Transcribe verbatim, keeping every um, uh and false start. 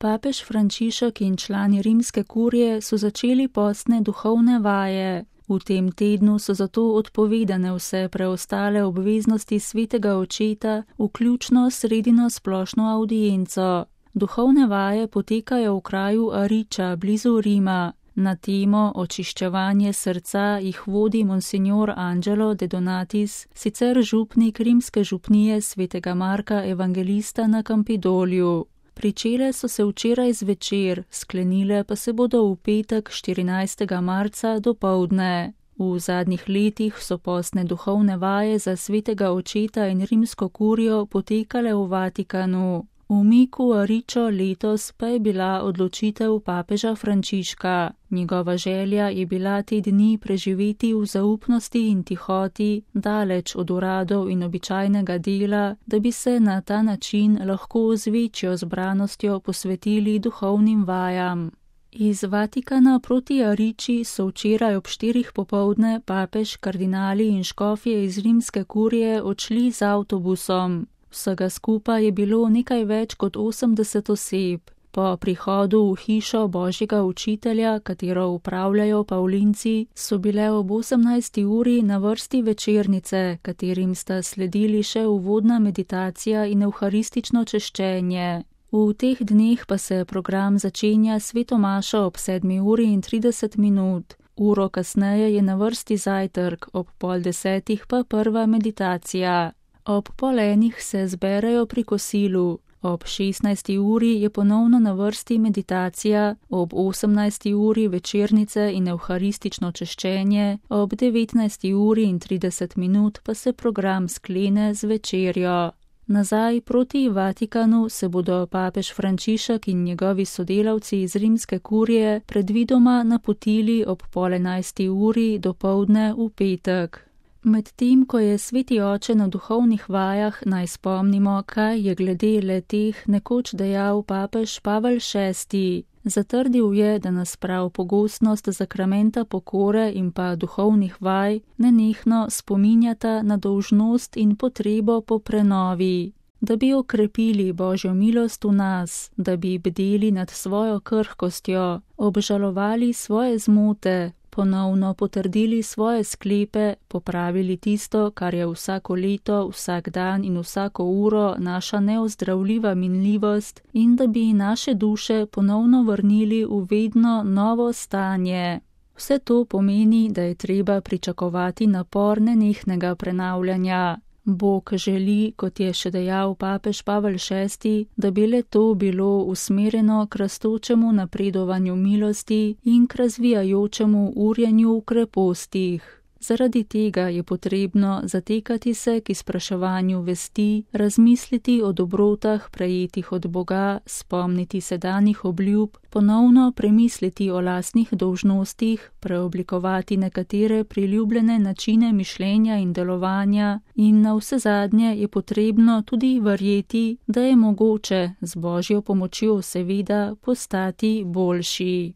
Papež Frančišek in člani rimske kurije so začeli postne duhovne vaje. V tem tednu so zato odpovedane vse preostale obveznosti svetega očeta, vključno sredino splošno avdienco. Duhovne vaje potekajo v kraju Ariča, blizu Rima. Na temo očiščevanje srca jih vodi monsignor Angelo de Donatis, sicer župnik rimske župnije svetega Marka Evangelista na Kampidolju. Pričele so se včeraj zvečer, sklenile pa se bodo v petek štirinajstega marca dopoldne. V zadnjih letih so postne duhovne vaje za svetega očeta in rimsko kurijo potekale v Vatikanu. V Miku Aričo letos pa je bila odločitev papeža Frančiška. Njegova želja je bila te dni preživeti v zaupnosti in tihoti, daleč od uradov in običajnega dela, da bi se na ta način lahko z večjo zbranostjo posvetili duhovnim vajam. Iz Vatikana proti Ariči so včeraj ob štirih popoldne papež, kardinali in škofje iz rimske kurije odšli z avtobusom. Vsega skupaj je bilo nekaj več kot osemdeset oseb. Po prihodu v hišo Božjega učitelja, katero upravljajo Pavlinci, so bile ob osemnajsti uri na vrsti večernice, katerim sta sledili še uvodna meditacija in evharistično češčenje. V teh dneh pa se program začenja svetomašo ob sedmi uri in trideset minut. Uro kasneje je na vrsti zajtrk, ob pol desetih pa prva meditacija. Ob pol enih se zberejo pri kosilu, ob šestnajsti uri je ponovno na vrsti meditacija, ob osemnajsti uri večernice in evharistično češčenje, ob devetnajsti uri in trideset minut pa se program sklene z večerjo. Nazaj proti Vatikanu se bodo papež Frančišek in njegovi sodelavci iz rimske kurije predvidoma napotili ob pol enajsti uri dopoldne v petek. Medtem, ko je sveti oče na duhovnih vajah, naj spomnimo, kaj je glede le-teh nekoč dejal papež Pavel šesti. Zatrdil je, da nas prav pogostnost zakramenta pokore in pa duhovnih vaj nenehno spominjata na dolžnost in potrebo po prenovi. Da bi okrepili Božjo milost v nas, da bi bdeli nad svojo krhkostjo, obžalovali svoje zmote, ponovno potrdili svoje sklepe, popravili tisto, kar je vsako leto, vsak dan in vsako uro naša neozdravljiva minljivost, in da bi naše duše ponovno vrnili v vedno novo stanje. Vse to pomeni, da je treba pričakovati napor nenehnega prenavljanja. Bog želi, kot je še dejal papež Pavel šesti, da bi le to bilo usmerjeno k rastočemu napredovanju milosti in k razvijajočemu urjenju v krepostih. Zaradi tega je potrebno zatekati se k izpraševanju vesti, razmisliti o dobrotah prejetih od Boga, spomniti se danih obljub, ponovno premisliti o lastnih dolžnostih, preoblikovati nekatere priljubljene načine mišljenja in delovanja in navsezadnje je potrebno tudi verjeti, da je mogoče, z Božjo pomočjo seveda, postati boljši.